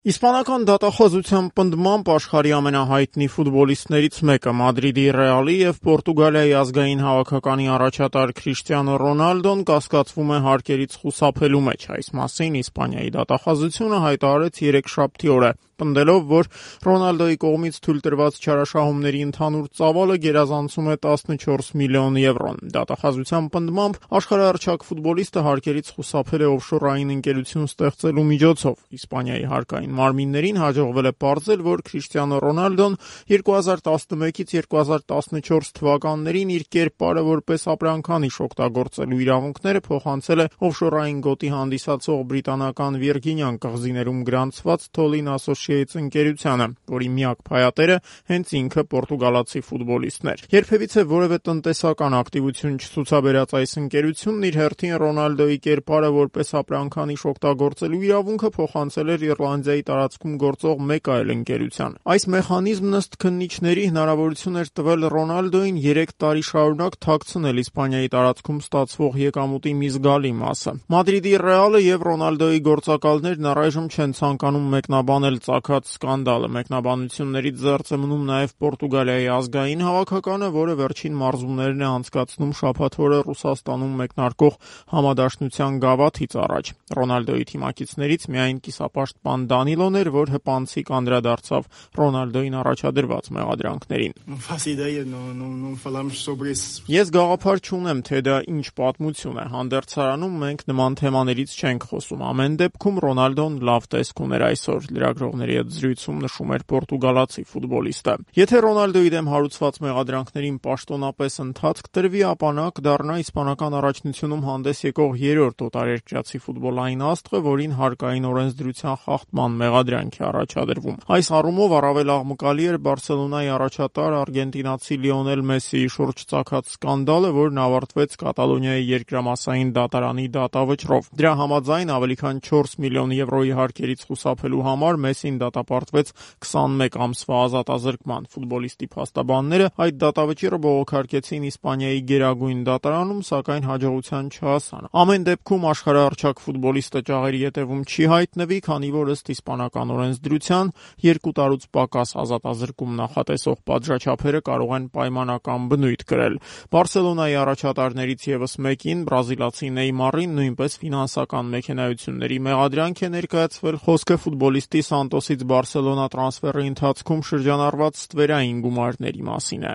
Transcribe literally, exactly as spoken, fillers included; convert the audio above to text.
Իսպանական դատախազության պնդմամբ աշխարհի ամենահայտնի ֆուտբոլիստներից մեկը, Մադրիդի Ռեալի և Պորտուգալիայի ազգային հավաքականի առաջատար Քրիշտիանո Ռոնալդոն կասկածվում է հարկերից խուսափելու մեջ։ Այս մասին Իսպանիայի դատախազությունը հայտարարեց երեքշաբթի օրը, պնդելով, որ Ռոնալդոյի կողմից թույլ տրված չարաշահումների ընդհանուր ծավալը գերազանցում է տասնչորս միլիոն եվրոն։ Դատախազության պնդմամբ աշխարհահռչակ ֆուտբոլիստը հարկերից խուսափել է օֆշորային ընկերություն ստեղծելու միջոցով։ Իսպանիայի հարկային մարմիններին հաջողվել է պարզել, որ Քրիշտիանո Ռոնալդոն երկու հազար տասնմեկից երկու հազար տասնչորս թվականներին իր կերպարը որպես ապրանքանիշ օգտագործելու իրավունքները փոխանցել է օֆշորային գոտի հանդիսացող բրիտանական Վիրգինյան կղզիներում գրանցված Tolin Associates ընկերությանը, որի միակ փայատերը հենց ինքը պորտուգալացի ֆուտբոլիստն էր։ Երբևիցե որևէ տնտեսական ակտիվություն չցուցաբերած այս ընկերությունն իր հերթին Ռոնալդոյի կերպարը որպես ապրանքանիշ օգտագործելու իրավունքը փոխանցել էր Իռլանդիայի տարածքում գործող մեկ այլ ընկերության։ Այս մեխանիզմն ըստ քննիչների հնարավորություն էր տվել Ռոնալդոյին երեք տարի շարունակ թաքցնել Իսպանիայի տարածքում ստացվող եկամուտի մի զգալի մասը։ Մադրիդի Ռեալը և Ռոնալդոյի գործակալներն առայժմ չեն ցանկանում մեկնաբանել ծագած սկանդալը։ Մեկնաբանություններից զերծ է մնում նաև Պորտուգալիայի ազգային հավաքականը, որը վերջին մարզումներն է անցկացնում շաբաթ օրը Ռուսաստանում մեկնարկող համադաշնության գավաթից առաջ։ Ռոնալդոյի թիմակիցներից միայն կիսապաշտպան Դանիլոն էր, որ հպանցիկ անդրադարձավ Ռոնալդոյին առաջադրված մեղադրանքներին։ Ես գաղափար չունեմ, թե դա ինչ պատմություն է։ Հանդերձարանում մենք նման թեմաներից չենք խոսում։ Ամեն դեպքում Ռոնալդոն լավ տեսք ուներ այսօր, լրագրողների հետ զրույցում նշում էր պորտուգալացի ֆուտբոլիստը։ Եթե Ռոնալդոյի դեմ հարուցված մեղադրանքներին պաշտոնապես ընթացք տրվի, ապա նա կդառնա իսպանական առաջնությունում հանդես եկող երրորդ օտարերկրացի ֆուտբոլային աստղը, որին հարկային օրենսդրության խախտման մեղադրանք է առաջադրվում։ Այս առումով առավել աղմկալի էր Բարսելոնայի առաջատար արգենտինացի Լիոնել Մեսսիի շուրջ ծագած սկանդալը, որն ավարտվեց Կատալոնիայի երկրամասային դատարանի դատավճռով։ Դրա համաձայն ավելի քան չորս միլիոն եվրոյի հարկերից խուսափելու համար Մեսսին դատապարտվեց քսանմեկ ամսվա ազատազրկման։ Ֆուտբոլիստի փաստաբանները այդ դատավճիռը բողոքարկեցին Իսպանիայի գերագույն դատարանում, սակայն հաջողության չհասան։ Ամեն դեպքում աշխարհահռչակ ֆուտբոլիստը ճաղերի ետևում չի հայտնվի, քանի որ ըստ իսպանական օրենսդրության երկու տարուց պակաս ազատազրկում նախատեսող պատժաչափերը կարող են պայմանական բնույթ կրել։ Բարսելոնայի առաջատարներից ևս մեկին, բրազիլացի Նեյմարին, նույնպես ֆինանսական մեքենայությունների մեղադրանք է ներկայացվել։ Խոսքը ֆուտբոլիստի Սանտոսից Բարսելոնա տրանսֆերի ընթացքում շրջանառված ստվերային գումարների մասին է։